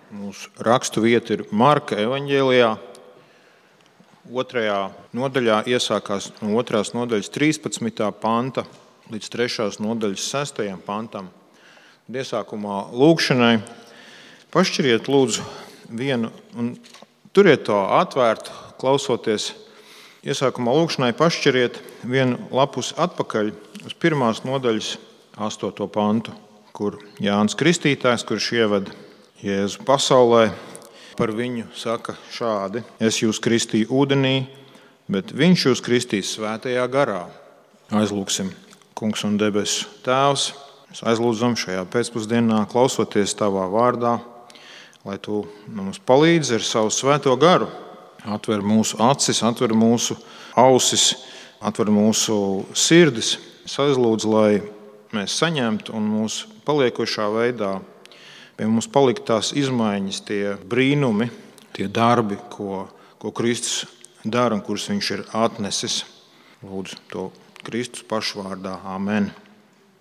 Mūsu rakstu vieta ir Marka evaņģēlijā. 2. nodaļā iesākās no 2. nodaļas 13. panta līdz 3. nodaļas 6. pantam. Iesākumā lūgšanai pašķiriet lūdzu vienu un turiet to atvērtu, klausoties. Iesākumā lūgšanai pašķiriet vienu lapus atpakaļ uz 1. nodaļas 8. pantu, kur Jānis Kristītājs, kurš ieveda Jēzu pasaulē, par viņu saka šādi: Es jūs kristīju ūdenī, bet viņš jūs kristīs svētajā garā. Aizlūgsim. Kungs un debesu Tēvs, mēs aizlūdzam šajā pēcpusdienā, klausoties Tavā vārdā, lai Tu mums palīdzi ar savu svēto garu. Atver mūsu acis, atver mūsu ausis, atver mūsu sirdis. Es aizlūdzu, lai mēs saņemtu un mūsu paliekošā veidā pie mums palikt tās izmaiņas, tie brīnumi, tie darbi, ko Kristus dara un kurus viņš ir atnesis. Lūdzu to Kristus pašvārdā. Amen.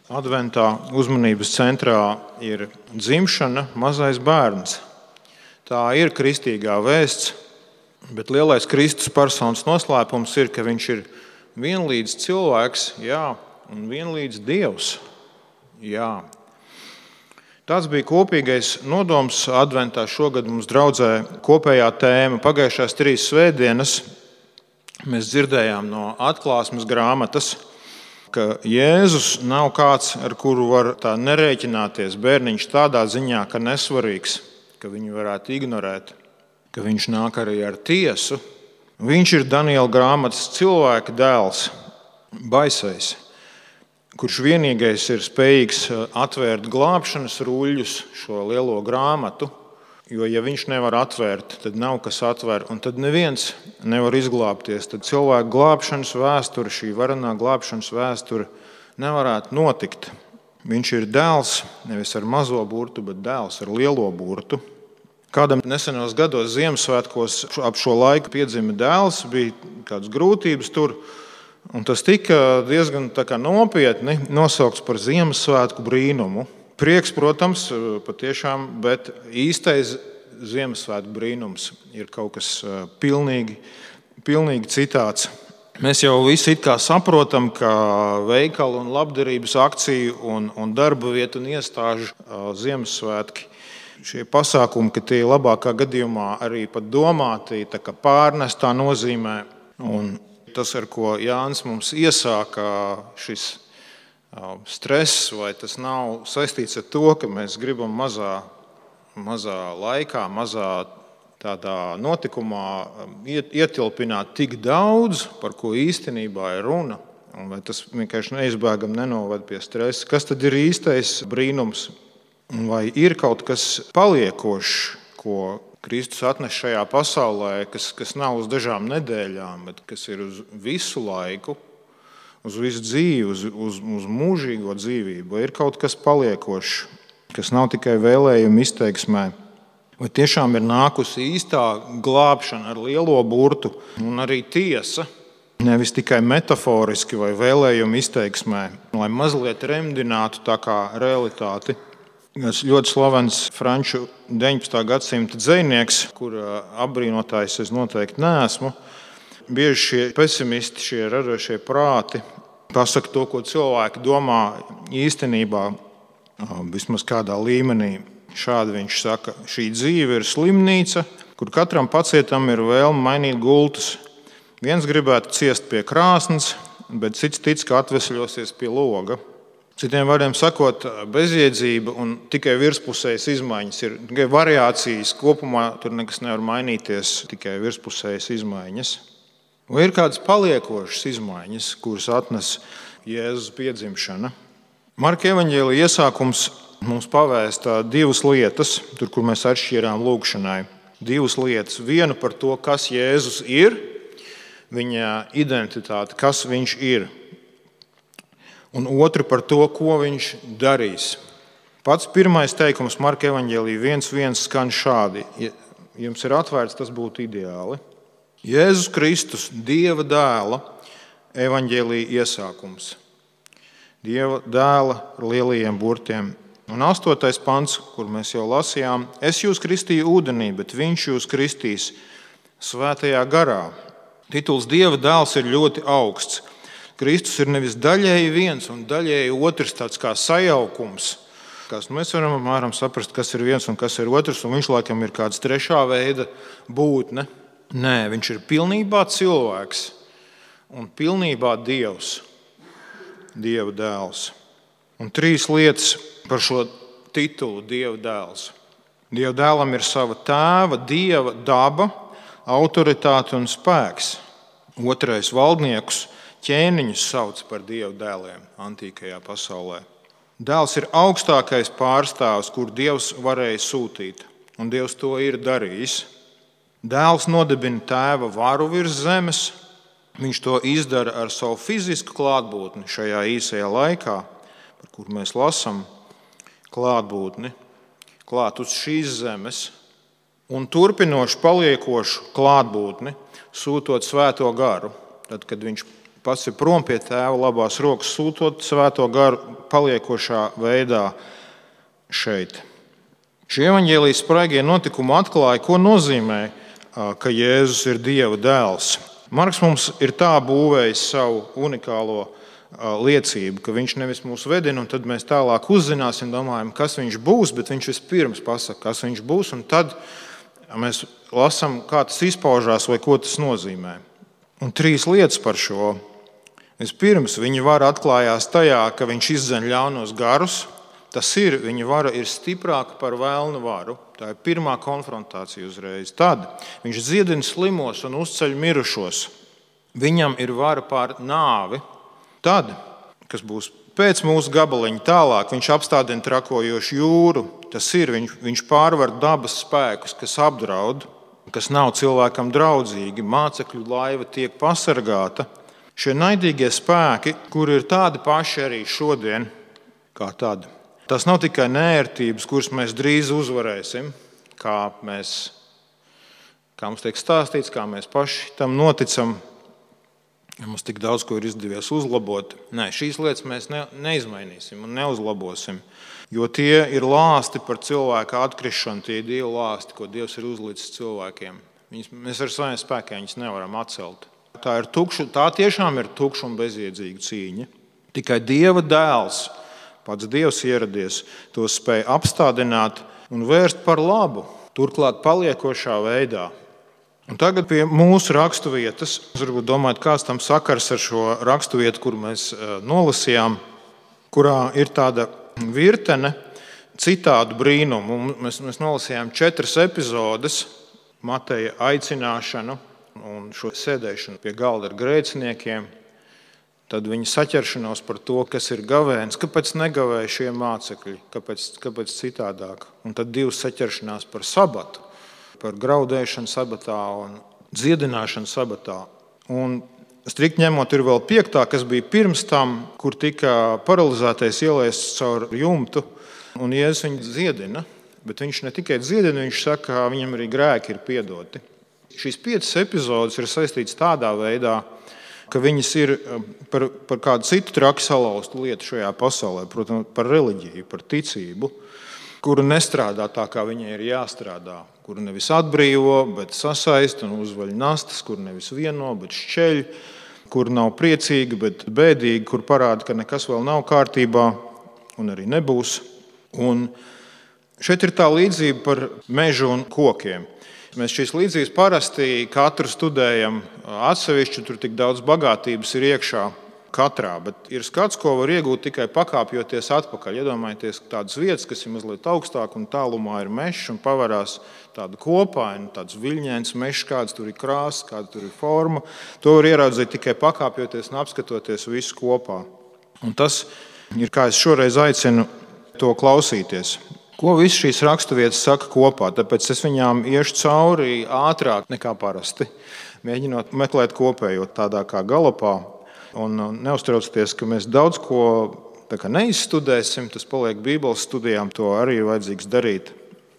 Adventā uzmanības centrā ir dzimšana, mazais bērns. Tā ir kristīgā vēsts, bet lielais Kristus personas noslēpums ir, ka viņš ir vienlīdz cilvēks, jā, un vienlīdz Dievs. Jā. Tāds bija kopīgais nodoms adventā. Šogad mums draudzē kopējā tēma. Pagājušās 3 svētdienas mēs dzirdējām no atklāsmes grāmatas, ka Jēzus nav kāds, ar kuru var tā nerēķināties. Bērniņš tādā ziņā, ka nesvarīgs, ka viņu varētu ignorēt, ka viņš nāk arī ar tiesu. Viņš ir Daniela grāmatas cilvēka dēls, baisais, kurš vienīgais ir spējīgs atvērt glābšanas ruļļus, šo lielo grāmatu, jo ja viņš nevar atvērt, tad nav kas atver, un tad neviens nevar izglābties. Tad cilvēku glābšanas vēsture, šī varenā glābšanas vēsture nevarētu notikt. Viņš ir dēls nevis ar mazo burtu, bet dēls ar lielo burtu. Kādam nesenos gados Ziemassvētkos ap šo laiku piedzima dēls, bija kādas grūtības tur, un tas tika diezgan nopietni nosaukts par Ziemassvētku brīnumu. Prieks, protams, patiešām, bet īstais Ziemassvētku brīnums ir kaut kas pilnīgi citāds. Mēs jau visi it kā saprotam, ka veikalu un labdarības akciju un darba vietu un iestāžu Ziemassvētki, šie pasākumi, ka tie labākā gadījumā arī pat domāti tā kā pārnestā nozīmē. Un tas, ar ko Jānis mums iesāka, šis stress, vai tas nav saistīts ar to, ka mēs gribam mazā laikā, mazā tādā notikumā ietilpināt tik daudz, par ko īstenībā ir runa, un vai tas vienkārši neizbēgam nenoved pie stresa. Kas tad ir īstais brīnums? Vai ir kaut kas paliekošs, ko Kristus atnes šajā pasaulē, kas nav uz dažām nedēļām, bet kas ir uz visu laiku, uz visu dzīvi, uz mūžīgo dzīvību? Vai ir kaut kas paliekošs, kas nav tikai vēlējuma izteiksmē? Vai tiešām ir nākusi īstā glābšana ar lielo burtu un arī tiesa, nevis tikai metaforiski vai vēlējuma izteiksmē, lai mazliet remdinātu tā kā realitāti? Tas ļoti slavens franču 19. gadsimta dzejnieks, kura apbrīnotājs es noteikti neesmu. Bieži šie pesimisti, šie radošie prāti pasaka to, ko cilvēki domā īstenībā, vismaz kādā līmenī. Šādi viņš saka: šī dzīve ir slimnīca, kur katram pacietam ir vēlme mainīt gultas. Viens gribētu ciest pie krāsnes, bet cits tic, ka atvesļosies pie loga. Citiem vārdiem sakot, bezjēdzība un tikai virspusējas izmaiņas ir tikai variācijas. Kopumā tur nekas nevar mainīties, tikai virspusējas izmaiņas. Vai ir kādas paliekošas izmaiņas, kuras atnes Jēzus piedzimšana? Marka evaņģēlija iesākums mums pavēsta 2 lietas, tur, kur mēs atšķirām lūgšanai. 2 lietas. Vienu par to, kas Jēzus ir, viņa identitāte, kas viņš ir. Un otru par to, ko viņš darīs. Pats pirmais teikums Marka evaņģēlijā 1.1 skan šādi. Ja jums ir atvērts, tas būtu ideāli. Jēzus Kristus, Dieva dēla evaņģēlijā iesākums. Dieva dēla ar lielajiem burtiem Un 8. pants, kur mēs jau lasījām, es jūs kristīju ūdenī, bet viņš jūs kristīs svētajā garā. Tituls Dieva dēls ir ļoti augsts. Kristus ir nevis daļēji viens un daļēji otrs, tāds kā sajaukums. Mēs varam apmēram saprast, kas ir viens un kas ir otrs, un viņš laikam ir kāds trešā veida būtne. Nē, viņš ir pilnībā cilvēks un pilnībā Dievs, Dieva dēls. Un 3 lietas par šo titulu Dieva dēls. Dieva dēlam ir sava tēva, Dieva daba, autoritāte un spēks. 2. valdniekus, ķēniņus sauc par Dieva dēliem antīkajā pasaulē. Dēls ir augstākais pārstāvs, kur Dievs varēja sūtīt, un Dievs to ir darījis. Dēls nodibina tēva varu virs zemes. Viņš to izdara ar savu fizisku klātbūtni šajā īsajā laikā, par kuru mēs lasām, klātbūtni, klāt uz šīs zemes, un turpinoši paliekošu klātbūtni, sūtot svēto garu. Tad, kad viņš pats ir prom pie tēva labās rokas, sūtot svēto garu paliekošā veidā šeit. Šie evaņģēlijas spraigie notikumi atklāja, ko nozīmē, ka Jēzus ir Dieva dēls. Marks mums ir tā būvējis savu unikālo liecību, ka viņš nevis mūs vedina, un tad mēs tālāk uzzināsim, domājam, kas viņš būs, bet viņš vispirms pasaka, kas viņš būs, un tad mēs lasām, kā tas izpaužās vai ko tas nozīmē. Un 3 lietas par šo. Vispirms, viņa vara atklājās tajā, ka viņš izdzen ļaunos garus. Tas ir, viņa vara ir stiprāka par vēlna varu. Tā ir pirmā konfrontācija uzreiz. Tad viņš dziedina slimos un uzceļ mirušos. Viņam ir vara pār nāvi. Tad, kas būs pēc mūsu gabaliņa tālāk, viņš apstādina trakojošu jūru. Tas ir, viņš pārvar dabas spēkus, kas apdraud, kas nav cilvēkam draudzīgi. Mācekļu laiva tiek pasargāta. Šie naidīgie spēki, kuri ir tādi paši arī šodien, kā tad. Tas nav tikai nērtības, kuras mēs drīz uzvarēsim, kā mums tiek stāstīts, kā mēs paši tam noticam. Mums tik daudz ko ir izdevies uzlabot. Nē, šīs lietas mēs neizmainīsim un neuzlabosim, jo tie ir lāsti par cilvēka atkrišanu, tie ir Dieva lāsti, ko Dievs ir uzlicis cilvēkiem. Mēs ar saviem spēkiem viņus nevaram atcelt. Tā tiešām ir tukša un bezjēdzīga cīņa. Tikai Dieva dēls, pats Dievs ieradies, to spēja apstādināt un vērst par labu, turklāt paliekošā veidā. Un tagad pie mūsu raksturvietas. Jūs varbūt domājat, kāds tam sakars ar šo raksturvietu, kuru mēs nolasījām, kurā ir tāda virkne citādu brīnumu. Mēs nolasījām 4 epizodes, Mateja aicināšanu un šo sēdēšanu pie galda ar grēciniekiem, tad viņa saķeršanos par to, kas ir gavēns, kāpēc negavēja šie mācekļi, kāpēc citādāk. Un tad 2 saķeršanās par sabatu, par graudēšanu sabatā un dziedināšanu sabatā. Un strikt ņemot ir vēl 5, kas bija pirms tam, kur tika paralizētais ielaists caur jumtu, un Jēzus viņu dziedina, bet viņš ne tikai dziedina, viņš saka, ka viņam arī grēki ir piedoti. Šīs 5 epizodes ir saistītas tādā veidā, ka viņas ir par kādu citu traki salauztu lietu šajā pasaulē, protams, par reliģiju, par ticību, kuru nestrādā tā, kā viņai ir jāstrādā, kuru nevis atbrīvo, bet sasaist un uzvaļ nastas, kuru nevis vieno, bet šķeļ, kuru nav priecīgi, bet bēdīgi, kur parāda, ka nekas vēl nav kārtībā un arī nebūs. Un šeit ir tā līdzība par mežu un kokiem. Mēs šīs līdzības parasti katru studējam atsevišķi, tur tik daudz bagātības ir iekšā katrā, bet ir skats, ko var iegūt tikai pakāpjoties atpakaļ. Iedomājieties tādas vietas, kas ir mazliet augstāk un tālumā ir mežs un pavarās tāda kopaina, tāds viļņains mežs, kāds tur ir krāsa, kāda tur ir forma. To var ieraudzīt tikai pakāpjoties un apskatoties visu kopā. Un tas ir, kā es šoreiz aicinu to klausīties. Ko visas šīs raksturvietas saka kopā? Tāpēc es viņām iešu cauri ātrāk nekā parasti, mēģinot meklēt kopējo tādā kā galopā. Un neuztraucieties, ka mēs daudz ko neizstudēsim, tas paliek Bībeles studijām, to arī ir vajadzīgs darīt.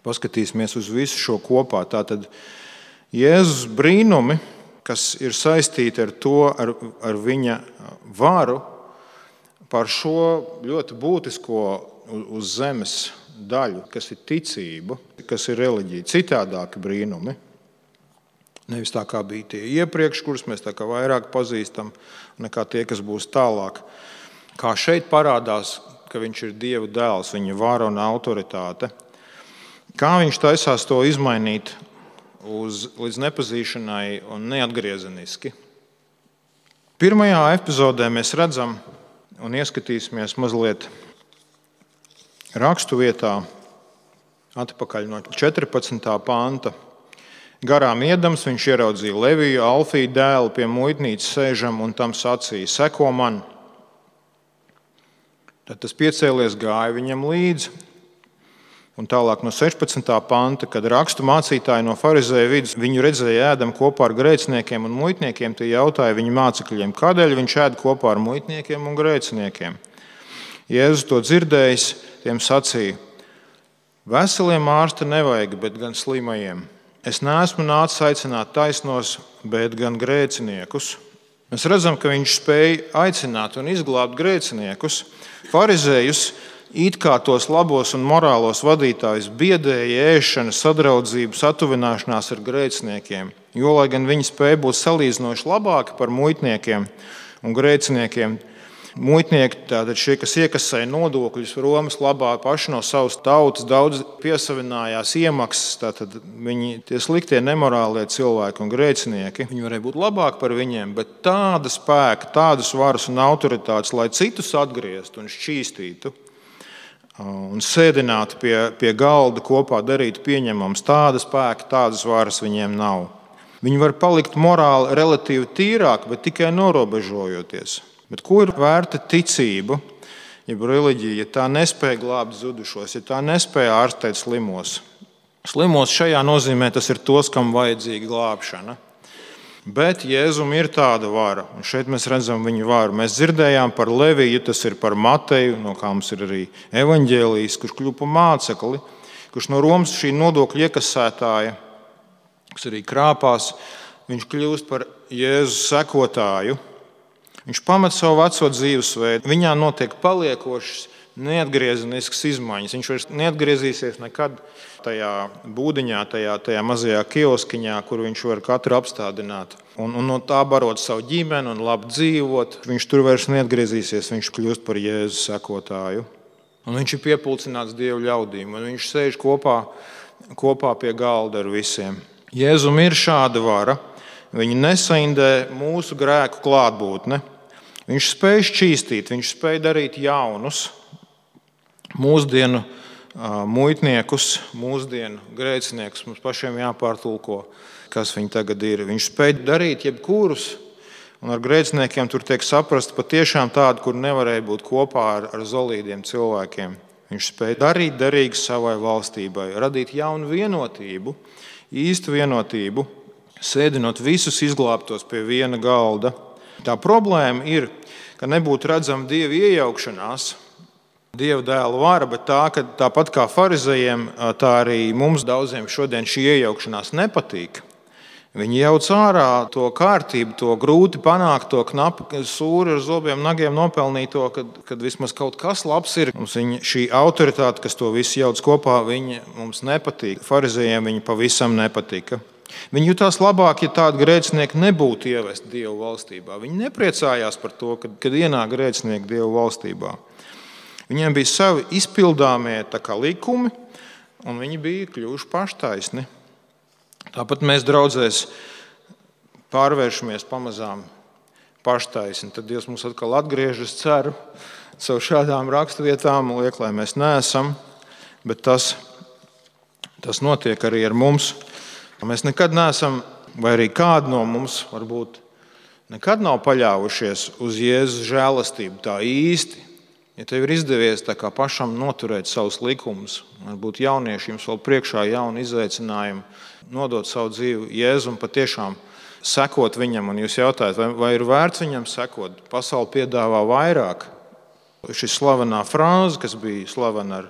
Paskatīsimies uz visu šo kopā. Tātad Jēzus brīnumi, kas ir saistīti ar to, ar viņa varu, par šo ļoti būtisko uz zemes daļu, kas ir ticība, kas ir reliģija, citādāki brīnumi. Nevis tā kā bija tie iepriekš, kurus mēs tā kā vairāk pazīstam, nekā tie, kas būs tālāk. Kā šeit parādās, ka viņš ir Dieva dēls, viņa vara un autoritāte. Kā viņš taisās to izmainīt līdz nepazīšanai un neatgriezeniski. Pirmajā epizodē mēs redzam un ieskatīsimies mazliet rakstu vietā atpakaļ no 14. panta. Garām iedams viņš ieraudzīja Leviju, Alfiju dēlu pie muitnīcas sēžam un tam sacīja: seko man. Tad tas piecēlies, gāja viņam līdzi. Un tālāk no 16. panta, kad rakstu mācītāji no farizēju vidus viņu redzēja ēdam kopā ar grēciniekiem un muitniekiem, tie jautāja viņa mācekļiem, kādēļ viņš ēd kopā ar muitniekiem un grēciniekiem. Jēzus to dzirdējis, tiem sacīja: veseliem ārsta nevajag, bet gan slimajiem. Es neesmu nācis aicināt taisnos, bet gan grēciniekus. Mēs redzam, ka viņš spēja aicināt un izglābt grēciniekus. Farizējus, it kā tos labos un morālos vadītājus, biedēja ēšana, sadraudzība, satuvināšanās ar grēciniekiem. Jo, lai gan viņi spēja būt salīdzinoši labāki par muitniekiem un grēciniekiem, muitnieki, tātad šie, kas iekasēja nodokļus Romas labā paši no savas tautas, daudz piesavinājās iemaksas, tātad viņi tie sliktie, nemorālie cilvēki un grēcinieki, viņi varēja būt labāki par viņiem, bet tāda spēka, tādas varas un autoritātes, lai citus atgrieztu un šķīstītu un sēdinātu pie galda kopā, darītu pieņemams, tāda spēka, tādas varas viņiem nav. Viņi var palikt morāli relatīvi tīrāki, bet tikai norobežojoties. Bet ko ir vērta ticība, jeb reliģija, ja tā nespēja glābt zudušos, ja tā nespēja ārstēt slimos? Slimos šajā nozīmē tas ir tos, kam vajadzīga glābšana. Bet Jēzum ir tāda vara, un šeit mēs redzam viņa varu. Mēs dzirdējām par Leviju, tas ir par Mateju, no kā mums ir arī evaņģēlijs, kurš kļuva par mācekli, kurš no Romas šī nodokļu iekasētāja, kas arī krāpās, viņš kļūst par Jēzus sekotāju. Viņš pamet savu veco dzīvesveidu, viņā notiek paliekošas, neatgriezeniskas izmaiņas. Viņš vairs neatgriezīsies nekad tajā būdiņā, tajā mazajā kioskiņā, kur viņš var katru apstādināt. Un no tā barot savu ģimeni un labi dzīvot. Viņš tur vairs neatgriezīsies, viņš kļūst par Jēzus sekotāju. Un viņš ir piepulcināts Dievu ļaudīm, un viņš sēž kopā pie galda ar visiem. Jēzum ir šāda vara. Viņa nesaindē mūsu grēku klātbūtne. Viņš spēj šķīstīt, viņš spēj darīt jaunus mūsdienu muitniekus, mūsdienu grēciniekus. Mums pašiem jāpārtulko, kas viņi tagad ir. Viņš spēj darīt jebkurus, un ar grēciniekiem tur tiek saprast patiešām tādu, kur nevarēja būt kopā ar zolīdiem cilvēkiem. Viņš spēj darīt derīgu savai valstībai, radīt jaunu vienotību, īstu vienotību, sēdinot visus izglābtos pie viena galda. Tā problēma ir, ka nebūtu redzama Dieva iejaukšanās, Dieva dēla vara, bet tā, ka tāpat kā farizējiem, tā arī mums daudziem šodien šī iejaukšanās nepatīk. Viņi jauc ārā to kārtību, to grūti panākt, to knapi sūri ar zobiem, nagiem nopelnīto, kad vismaz kaut kas labs ir. Mums šī autoritāte, kas to visu jauc kopā, viņa mums nepatīk. Farizējiem viņa pavisam nepatika. Viņi jutās labāk, ja tādi grēcinieki nebūtu ievesti Dievu valstībā. Viņi nepriecājās par to, kad ienāk grēcinieki Dievu valstībā. Viņiem bija savi izpildāmie likumi, un viņi bija kļuvuši paštaisni. Tāpat mēs draudzēs pārvēršamies pamazām paštaisni. Tad Dievs mums atkal atgriežas, ceru, caur šādām raksturvietām, liek, lai mēs neesam, bet tas notiek arī ar mums. Mēs nekad neesam, vai arī kādi no mums varbūt nekad nav paļāvušies uz Jēzus žēlastību tā īsti. Ja tev ir izdevies tā kā pašam noturēt savus likumus, varbūt jaunieši jums vēl priekšā jauni izaicinājumi, nodot savu dzīvi Jēzum, patiešām sekot viņam, un jūs jautājat, vai ir vērts viņam sekot? Pasaule piedāvā vairāk. Šī slavenā frāze, kas bija slavena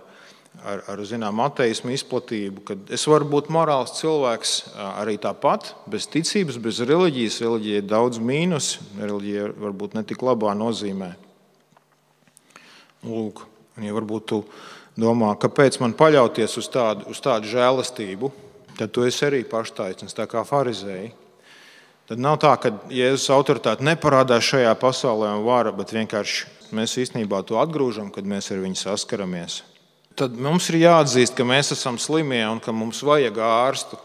ar zinām ateismu izplatību, kad es varu būt morāls cilvēks arī tāpat, bez ticības, bez reliģijas. Reliģija ir daudz mīnus, reliģija varbūt ne tik labā nozīmē. Lūk, Un ja varbūt tu domā, kāpēc man paļauties uz tādu žēlastību, tad tu esi arī paštaisnīgs, tā kā farizēji. Tad nav tā, ka Jēzus autoritāte neparādās šajā pasaulē un vara, bet vienkārši mēs īstenībā to atgrūžam, kad mēs ar viņu saskaramies. Tad mums ir jāatzīst, ka mēs esam slimie un ka mums vajag ārstu.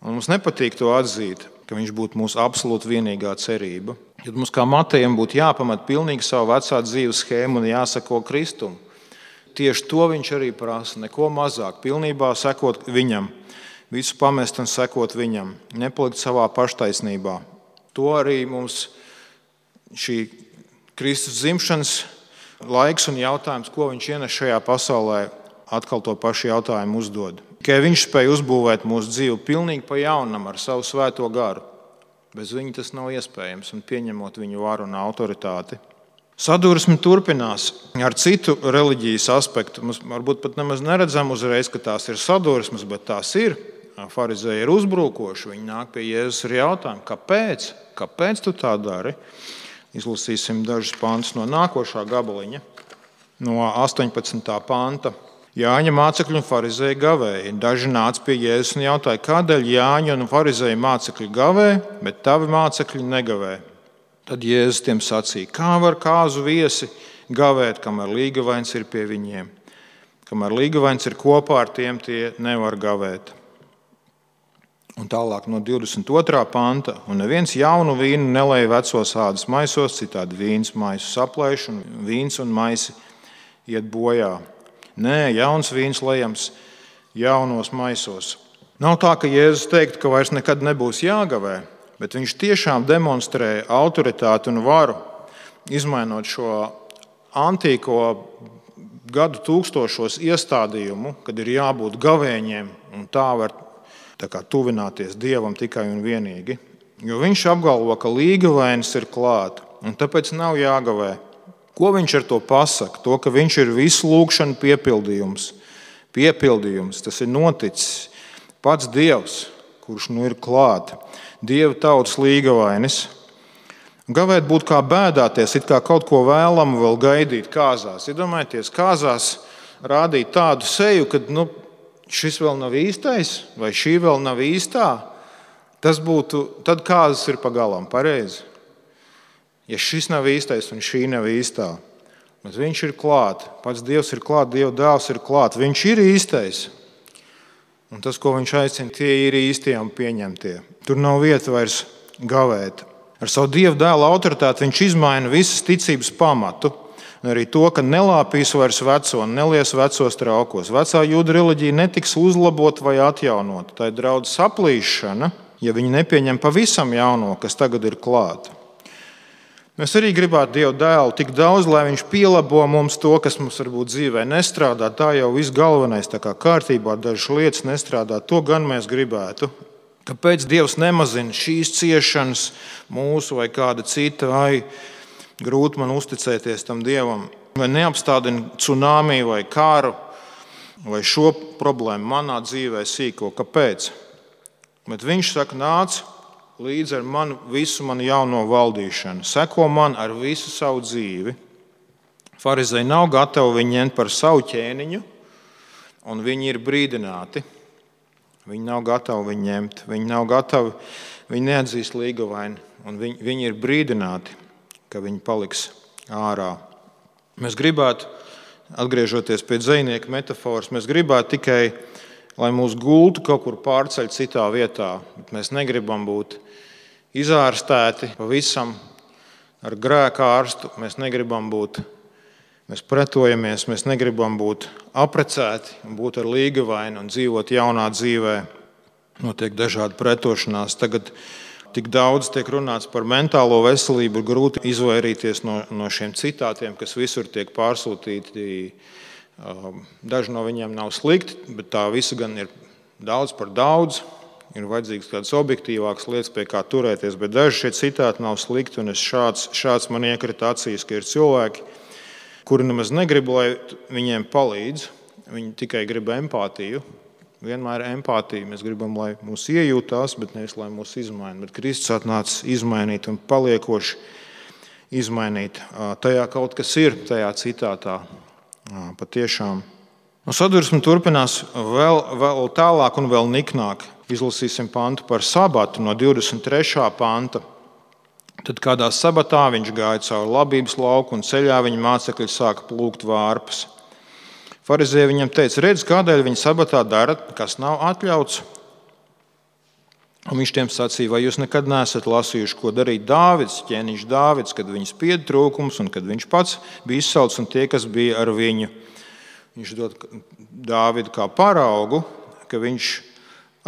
Un mums nepatīk to atzīt, ka viņš būtu mūsu absolūti vienīgā cerība. Tad mums kā Matejam būtu jāpamat pilnīgi savu vecā dzīves schēmu un jāsako Kristum. Tieši to viņš arī prasa, neko mazāk, pilnībā sekot viņam, visu pamest un sekot viņam, nepalikt savā paštaisnībā. To arī mums šī Kristus dzimšanas laiks un jautājums, ko viņš ienes šajā pasaulē, atkal to pašu jautājumu uzdod. Tikai viņš spēja uzbūvēt mūsu dzīvi pilnīgi pa jaunam ar savu svēto garu. Bez viņa tas nav iespējams, un pieņemot viņu varu un autoritāti. Sadursme turpinās ar citu reliģijas aspektu. Mēs varbūt pat nemaz neredzam uzreiz, ka tās ir sadursmes, bet tās ir. Farizēji ir uzbrukoši. Viņi nāk pie Jēzus ar jautājumu, kāpēc? Kāpēc tu tā dari? Izlasīsim dažus pantus no nākošā gabaliņa, no 18. panta. Jāņa mācekļi un farizēji gavēja. Daži nāca pie Jēzus un jautāja, kādēļ Jāņa un farizēji mācekļi gavē, bet tavi mācekļi negavē. Tad Jēzus tiem sacīja, kā var kāzu viesi gavēt, kamēr līgavains ir pie viņiem. Kamēr līgavains ir kopā ar tiem, tie nevar gavēt. Un tālāk no 22. panta. Un neviens jaunu vīnu nelej vecos ādas maisos, citādi vīns maisu saplēš un vīns un maisi iet bojā. Nē, jauns vīns lejams jaunos maisos. Nav tā, ka Jēzus teiktu, ka vairs nekad nebūs jāgavē, bet viņš tiešām demonstrē autoritāti un varu, izmainot šo antīko gadu tūkstošos iestādījumu, kad ir jābūt gavēņiem un tā var tuvināties Dievam tikai un vienīgi. Jo viņš apgalvo, ka līgavainis ir klāt, un tāpēc nav jāgavē. Ko viņš ar to pasaka? To, ka viņš ir visu lūgšanu piepildījums. Piepildījums, tas ir noticis. Pats Dievs, kurš nu ir klāt. Dieva tautas līgavainis. Gavēt būtu kā bēdāties, it kā kaut ko vēlamu vēl gaidīt kāzās. Iedomājieties, kāzās rādīt tādu seju, kad šis vēl nav īstais, vai šī vēl nav īstā. Tas būtu, tad kāzas ir pagalām, pareizi. Ja šis nav īstais un šī nav īstā, bet viņš ir klāt, pats Dievs ir klāt, Dieva dēls ir klāt, viņš ir īstais. Un tas, ko viņš aicina, tie ir īstie un pieņemtie. Tur nav vieta vairs gavēt. Ar savu Dieva dēla autoritāti viņš izmaina visas ticības pamatu, un arī to, ka nelāpīs vairs veco un nelies vecos traukos. Vecā jūda reliģija netiks uzlabot vai atjaunot. Tā ir draudz saplīšana, ja viņi nepieņem pavisam jauno, kas tagad ir klāt. Mēs arī gribētu Dieva dēlu tik daudz, lai viņš pielabo mums to, kas mums varbūt dzīvē nestrādā. Tā jau viss galvenais, tā kā kārtībā dažas lietas nestrādā. To gan mēs gribētu. Kāpēc Dievs nemazina šīs ciešanas mūsu vai kāda cita? Vai grūti man uzticēties tam Dievam? Vai neapstādina cunāmī vai kāru? Vai šo problēmu manā dzīvē sīko? Kāpēc? Bet viņš saka, nāc līdz ar visu manu jauno valdīšanu. Seko man ar visu savu dzīvi. Farizēji nav gatavi viņu ņemt par savu ķēniņu, un viņi ir brīdināti. Viņi nav gatavi viņu ņemt. Viņi nav gatavi, viņi neatzīst līgavaini, un viņi ir brīdināti, ka viņi paliks ārā. Mēs gribētu, atgriežoties pie dzejnieka metaforas, mēs gribētu tikai, lai mūs gultu kaut kur pārceļ citā vietā. Bet mēs negribam būt izārstēti pavisam ar grēka ārstu. Mēs negribam būt, mēs pretojamies, mēs negribam būt aprecēti un būt ar līgavaini un dzīvot jaunā dzīvē. Notiek dažādi pretošanās. Tagad tik daudz tiek runāts par mentālo veselību, ir grūti izvairīties no šiem citātiem, kas visur tiek pārsūtīti. Daži no viņiem nav slikti, bet tā visa gan ir daudz par daudz. Ir vajadzīgs kādas objektīvākas lietas, pie kā turēties, bet daži šie citāti nav slikti. Un šāds man iekrita acīs, ka ir cilvēki, kuri nemaz negrib, lai viņiem palīdz. Viņi tikai grib empātiju. Vienmēr empātija. Mēs gribam, lai mūs iejūtās, bet nevis, lai mūs izmaina. Bet Kristus atnāca izmainīt un paliekoši izmainīt. Tajā kaut kas ir, tajā citātā. Patiešām. Sadursme turpinās vēl tālāk un vēl niknāk. Izlasīsim pantu par sabatu no 23. panta. Tad kādā sabatā viņš gāja cauri labības lauku un ceļā viņa mācekļi sāka plūkt vārpas. Farizēji viņam teica: redz, kādēļ viņi sabatā dara, kas nav atļauts? Un viņš tiem sacīja: vai jūs nekad neesat lasījuši, ko darīja Dāvids, ķēniņš Dāvids, kad viņa spieda trūkums un kad viņš pats bija izsalcis un tie, kas bija ar viņu? Viņš dod Dāvidu kā paraugu, ka viņš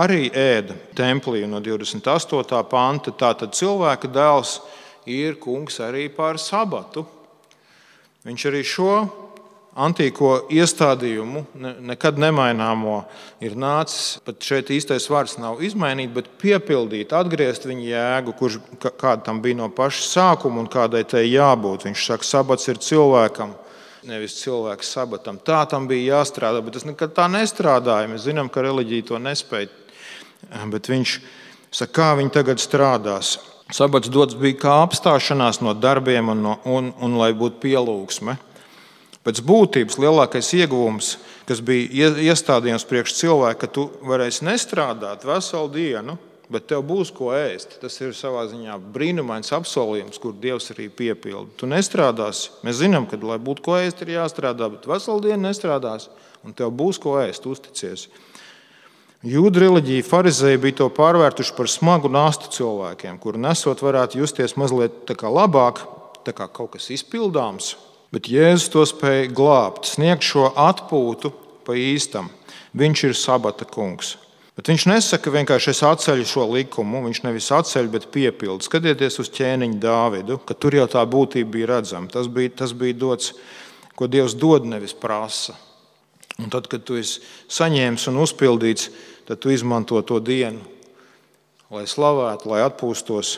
arī ēda templī no 28. panta. Tātad cilvēka dēls ir kungs arī pār sabatu. Viņš arī šo antīko iestādījumu, nekad nemaināmo, ir nācis, pat šeit īstais vārds nav izmainīt, bet piepildīt, atgriezt viņa jēgu, kāda tam bija no paša sākuma un kādai tai jābūt. Viņš saka, sabats ir cilvēkam, nevis cilvēks sabatam. Tā tam bija jāstrādā, bet tas nekad tā nestrādāja. Mēs zinām, ka reliģija to nespēja. Bet viņš saka, kā viņi tagad strādās. Sabats dots bija kā apstāšanās no darbiem un lai būtu pielūgsme. Pēc būtības lielākais ieguvums, kas bija iestādījums priekš cilvēka, ka tu varēsi nestrādāt veselu dienu, bet tev būs ko ēst. Tas ir savā ziņā brīnumains apsolījums, kur Dievs arī piepilda. Tu nestrādāsi. Mēs zinām, ka, lai būtu ko ēst, ir jāstrādā, bet veselu dienu nestrādās, un tev būs ko ēst, uzticies. Jūdu reliģija farizēji bija to pārvērtuši par smagu nastu cilvēkiem, kuru nesot varētu justies mazliet tā kā labāk, tā kā kaut kas izpildāms, bet Jēzus to spēja glābt, sniegt šo atpūtu pa īstam. Viņš ir sabata kungs. Bet viņš nesaka vienkārši es atceļu šo likumu, viņš nevis atceļ, bet piepilda. Skatieties uz ķēniņu Dāvidu, ka tur jau tā būtība bija redzama. Tas bija dots, ko Dievs dod, nevis prasa. Un tad, kad tu esi saņēmis un uzpildīts, tad tu izmanto to dienu, lai slavētu, lai atpūstos.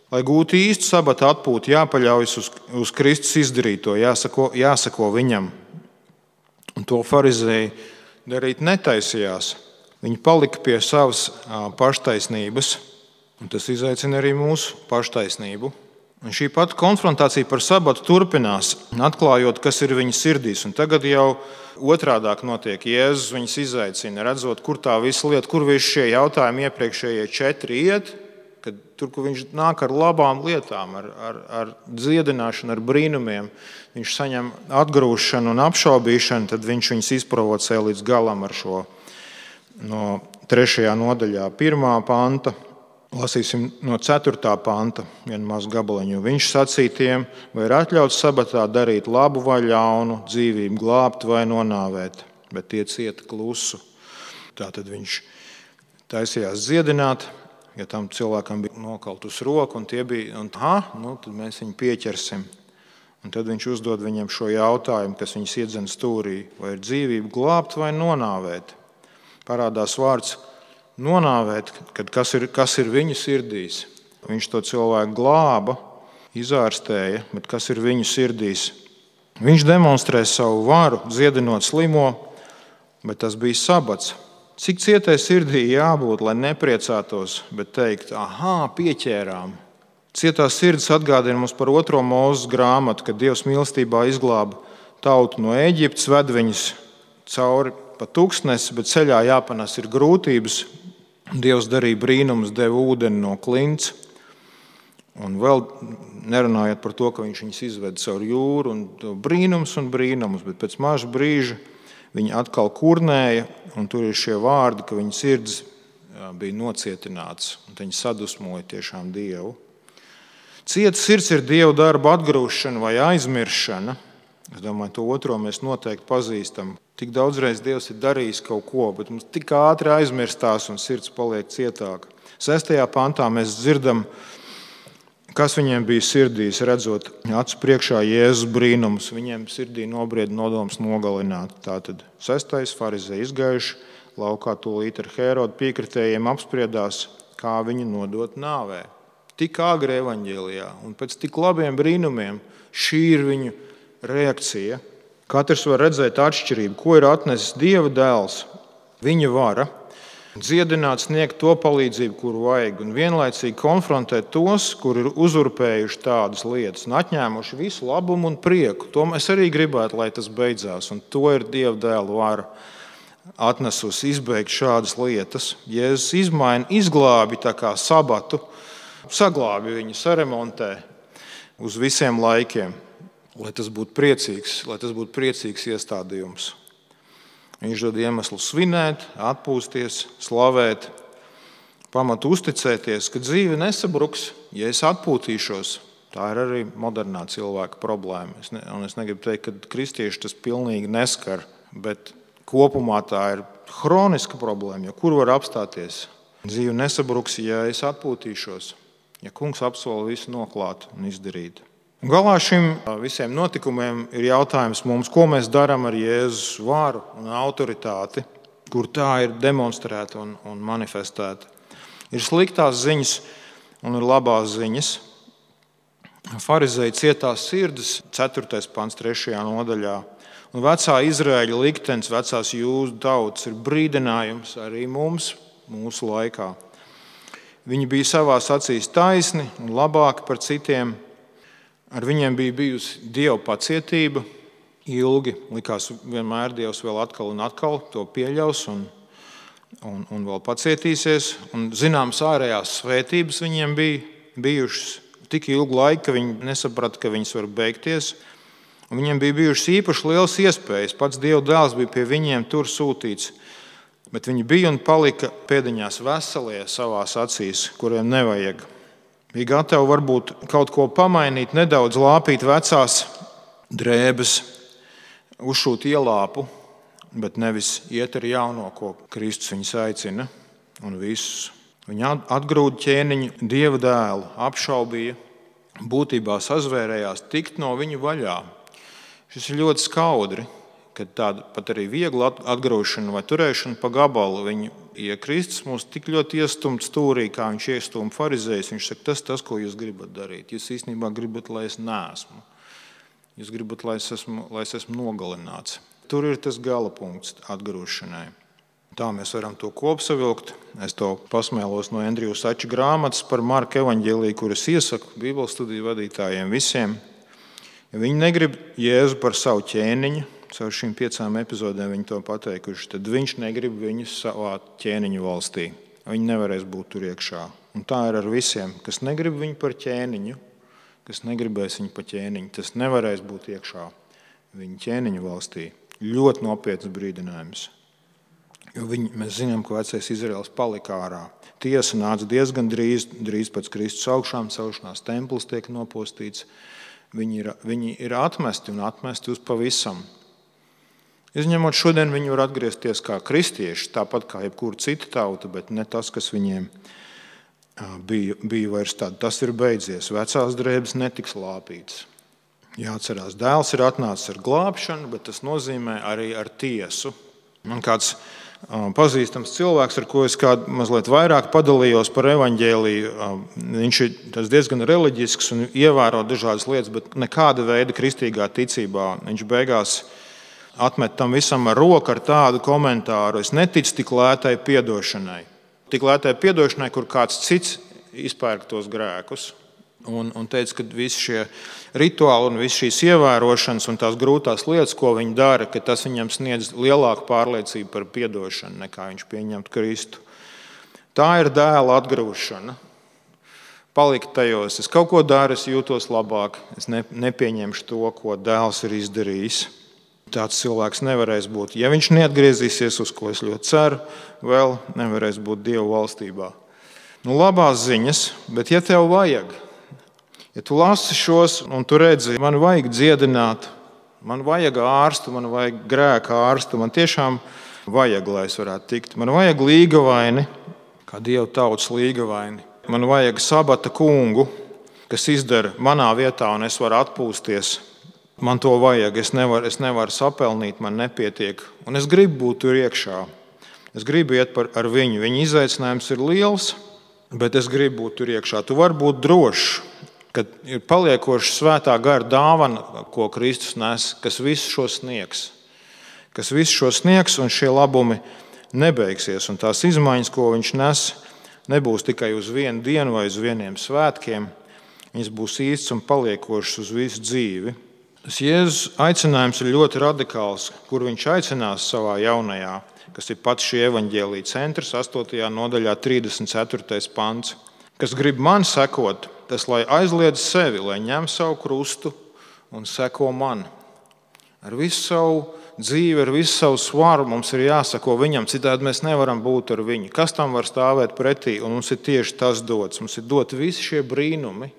Lai gūtu īstu sabata atpūtu, jāpaļaujas uz Kristus izdarīto, jāsako viņam. Un to farizēji darīt netaisījās. Viņi palika pie savas paštaisnības, un tas izaicina arī mūsu paštaisnību. Un šī pati konfrontācija par sabatu turpinās, atklājot, kas ir viņa sirdīs. Un tagad jau otrādāk notiek. Jēzus viņus izaicina, redzot, kur tā visa lieta, kur visi šie jautājumi iepriekšējie 4 iet, kad tur, kur viņš nāk ar labām lietām, ar dziedināšanu, ar brīnumiem, viņš saņem atgrūšanu un apšaubīšanu, tad viņš viņus izprovocē līdz galam ar šo no 3. nodaļā 1. panta. Lasīsim no 4. panta vienu mazu gabaliņu. Viņš sacīja tiem, vai ir atļauts sabatā darīt labu vai ļaunu, dzīvību glābt vai nonāvēt, bet tie cieta klusu. Tātad viņš taisījās dziedināt, ja tam cilvēkam bija nokautus roku, un tie bija, tad mēs viņu pieķersim. Un tad viņš uzdod viņam šo jautājumu, kas viņus iedzen stūrī, vai ir dzīvību glābt vai nonāvēt. Parādās vārds nonāvēt, kad kas ir viņu sirdīs. Viņš to cilvēku glāba, izārstēja, bet kas ir viņu sirdīs? Viņš demonstrē savu varu, dziedinot slimo, bet tas bija sabats. Cik cietai sirdī jābūt, lai nepriecātos, bet teikt, pieķērām. Cietā sirds atgādina mums par 2. Mūzes grāmatu, kad Dievs mīlestībā izglāba tautu no Ēģiptes, ved viņus cauri pa tūkstnesi, bet ceļā jāpanes ir grūtības. Dievs darīja brīnumus, deva ūdeni no klints. Un vēl nerunājot par to, ka viņš viņus izveda caur jūru un brīnums, bet pēc maža brīža viņi atkal kurnēja, un tur ir šie vārdi, ka viņa sirds bija nocietināts, un viņi sadusmoja tiešām Dievu. Cieta sirds ir Dieva darba atgrūšana vai aizmiršana. Es domāju, to otro mēs noteikti pazīstam. Tik daudzreiz Dievs ir darījis kaut ko, bet mums tik ātri aizmirstās un sirds paliek cietāka. 6. pantā mēs dzirdam, kas viņiem bija sirdīs, redzot acu priekšā Jēzus brīnumus. Viņiem sirdī nobrieda nodoms nogalināt. Tātad 6. farizēji izgājuši laukā tūlīt ar Hērodu piekritējiem apspriedās, kā viņu nodot nāvē. Tik āgri evaņģēlijā un pēc tik labiem brīnumiem šī ir viņu reakcija. Katrs var redzēt atšķirību, ko ir atnesis Dieva dēls, viņa vara. dziedināt, sniegt to palīdzību, kuru vajag, un vienlaicīgi konfrontēt tos, kuri ir uzurpējuši tādas lietas un atņēmuši visu labumu un prieku. To mēs arī gribētu, lai tas beidzās, un to ir Dieva dēla vara atnesusi izbeigt šādas lietas. Jēzus izmaina, izglābi tā kā sabatu, saglābi viņu, saremontē uz visiem laikiem, lai tas būtu priecīgs iestādījums. Viņš dod iemeslu svinēt, atpūsties, slavēt, pamatu uzticēties, ka dzīve nesabruks, ja es atpūtīšos. Tā ir arī modernā cilvēka problēma. Es negribu teikt, ka kristieši tas pilnīgi neskar, bet kopumā tā ir hroniska problēma, jo kur var apstāties? Dzīve nesabruks, ja es atpūtīšos, ja kungs apsola visu noklāt un izdarīt. Galā šim visiem notikumiem ir jautājums mums, ko mēs darām ar Jēzus varu un autoritāti, kur tā ir demonstrēta un manifestēta. Ir sliktās ziņas un ir labās ziņas. Farizēji cietās sirds, 4. pants 3. nodaļā. Un vecā Izraēļa liktenis, vecās jūdu tautas ir brīdinājums arī mums, mūsu laikā. Viņi bija savās acīs taisni un labāki par citiem. Ar viņiem bija bijusi Dieva pacietība ilgi. Likās, vienmēr Dievs vēl atkal un atkal to pieļaus un vēl pacietīsies. Un zināmas ārējās svētības viņiem bija bijušas tik ilgu laiku, ka viņi nesaprata, ka viņas var beigties. Un viņiem bija bijušas īpaši lielas iespējas. Pats Dieva dēls bija pie viņiem tur sūtīts. Bet viņi bija un palika pēdiņās veselie savās acīs, kuriem nevajag. Bija gatavi varbūt kaut ko pamainīt, nedaudz lāpīt vecās drēbes, uzšūt ielāpu, bet nevis iet ar jauno, ko Kristus viņus aicina. Un visus. Viņi atgrūda ķēniņu Dieva dēlu, apšaubīja, būtībā sazvērējās tikt no viņu vaļā. Šis ir ļoti skaudri, kad tāda pat arī viegla atgrūšana vai turēšana pa gabalu viņu. Ja Kristus mūs tik ļoti iestumt stūrī, kā viņš iestūma farizējus, viņš saka, tas, ko jūs gribat darīt. Jūs īstenībā gribat, lai es neesmu. Jūs gribat, lai es esmu nogalināts. Tur ir tas gala punkts atgrūšanai. Tā mēs varam to kopsavilkt. Es to pasmēlos no Andriju Sača grāmatas par Marka evaņģēliju, kuras iesaku Bībeles studiju vadītājiem visiem. Ja viņi negrib Jēzu par savu ķēniņu, caur šīm 5 epizodēm viņi to pateikuši, tad viņš negrib viņus savā ķēniņu valstī. Viņi nevarēs būt tur iekšā. Un tā ir ar visiem, kas negrib viņu par ķēniņu, kas negribēs viņu par ķēniņu, tas nevarēs būt iekšā viņa ķēniņu valstī. Ļoti nopietns brīdinājums. Jo mēs zinām, ka vecais Izraels palika ārā. Tiesa nāca diezgan drīz pēc Kristus augšām celšanās, templis tiek nopostīts. Viņi ir atmesti un atmesti uz pavisam. Izņemot šodien, viņi var atgriezties kā kristieši, tāpat kā jebkura cita tauta, bet ne tas, kas viņiem bija vairs tāda. Tas ir beidzies. Vecās drēbes netiks lāpītas. Jāatcerās, dēls ir atnācis ar glābšanu, bet tas nozīmē arī ar tiesu. Man kāds pazīstams cilvēks, ar ko es mazliet vairāk padalījos par evaņģēliju, viņš ir diezgan reliģisks un ievēro dažādas lietas, bet nekāda veida kristīgā ticībā. Viņš beigās atmet tam visam ar roku ar tādu komentāru: es neticu tik lētai piedošanai. Tik lētai piedošanai, kur kāds cits izpērk tos grēkus. Un teica, ka visi šie rituāli un visas šīs ievērošanas un tās grūtās lietas, ko viņi dara, ka tas viņam sniedz lielāku pārliecību par piedošanu, nekā viņš pieņemtu Kristu. Tā ir dēla atgrūšana. Palikt tajos, es kaut ko daru, es jūtos labāk, es nepieņemšu to, ko dēls ir izdarījis. Tāds cilvēks nevarēs būt. Ja viņš neatgriezīsies, uz ko es ļoti ceru, vēl nevarēs būt Dieva valstībā. Labās ziņas, bet ja tev vajag, ja tu lasi šos un tu redzi, man vajag dziedināt, man vajag ārstu, man vajag grēka ārstu, man tiešām vajag, lai es varētu tikt. Man vajag līgavaini, kā Dieva tautas līgavaini. Man vajag sabata kungu, kas izdara manā vietā un es varu atpūsties. Man to vajag, es nevaru sapelnīt, man nepietiek. Un es gribu būt tur iekšā. Es gribu iet ar viņu. Viņa izaicinājums ir liels, bet es gribu būt tur iekšā. Tu vari būt drošs, ka ir paliekoša svētā gara dāvana, ko Kristus nes, kas visu šo sniegs. Kas visu šo sniegs, un šie labumi nebeigsies. Un tās izmaiņas, ko viņš nes, nebūs tikai uz vienu dienu vai uz vieniem svētkiem. Viņas būs īsts un paliekošas uz visu dzīvi. Tas Jēzus aicinājums ir ļoti radikāls, kur viņš aicinās savā jaunajā, kas ir pats šī evaņģēlija centrs, 8. nodaļā 34. pants. Kas grib man sekot, tas lai aizliedz sevi, lai ņem savu krustu un seko man. Ar visu savu dzīvi, ar visu savu svaru mums ir jāsako viņam, citādi mēs nevaram būt ar viņu. Kas tam var stāvēt pretī? Un mums ir tieši tas dots. Mums ir doti visi šie brīnumi,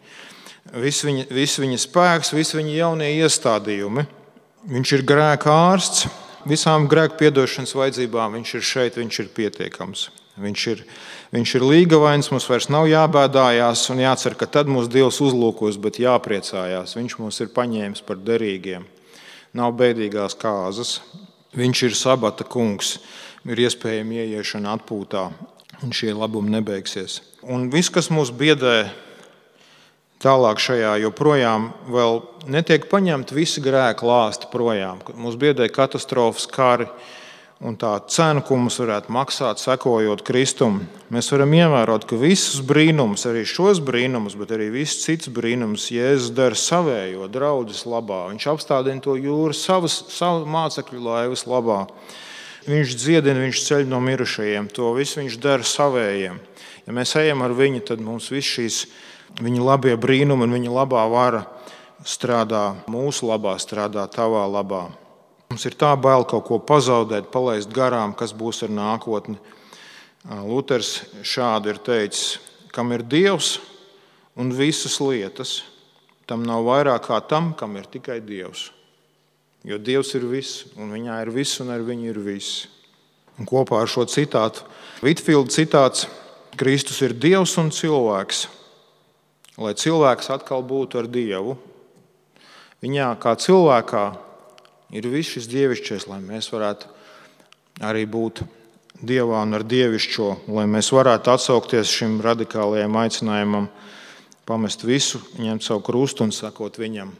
viss viņa spēks, visi viņa jaunie iestādījumi. Viņš ir grēka ārsts, visām grēku piedošanas vajadzībām viņš ir šeit, viņš ir pietiekams. Viņš ir līgavains, mums vairs nav jābēdājās un jācer, ka tad mūs Dievs uzlūkos, bet jāpriecājās. Viņš mūs ir paņēmis par derīgiem. Nav bēdīgās kāzas. Viņš ir sabata kungs, ir iespējama ieiešana atpūtā, un šie labumi nebeigsies. Un viss, kas mūs biedē tālāk šajā, joprojām vēl netiek paņemti visi grēka lāsti projām. Mūs biedē katastrofas, kari un tā cena, ko mums varētu maksāt, sekojot Kristum. Mēs varam ievērot, ka visus brīnumus, arī šos brīnumus, bet arī visus citus brīnumus Jēzus dara savējo draudzes labā. Viņš apstādina to jūru savu mācekļu laivas labā. Viņš dziedina, viņš ceļ no mirušajiem. To visu viņš dara savējiem. Ja mēs ejam ar viņu, tad mums viss šīs viņa labie brīnumi un viņa labā vara strādā mūsu labā, strādā tavā labā. Mums ir tā bail kaut ko pazaudēt, palaist garām, kas būs ar nākotni. Luters šādi ir teicis, kam ir Dievs un visas lietas, tam nav vairāk kā tam, kam ir tikai Dievs. Jo Dievs ir viss, un viņā ir viss, un ar viņu ir viss. Un kopā ar šo citātu, Vitfīlda citāts, Kristus ir Dievs un cilvēks, lai cilvēks atkal būtu ar Dievu. Viņā kā cilvēkā ir viss šis dievišķais, lai mēs varētu arī būt Dievā un ar dievišķo, lai mēs varētu atsaukties šim radikālajam aicinājumam, pamest visu, ņemt savu krustu un sakot viņam.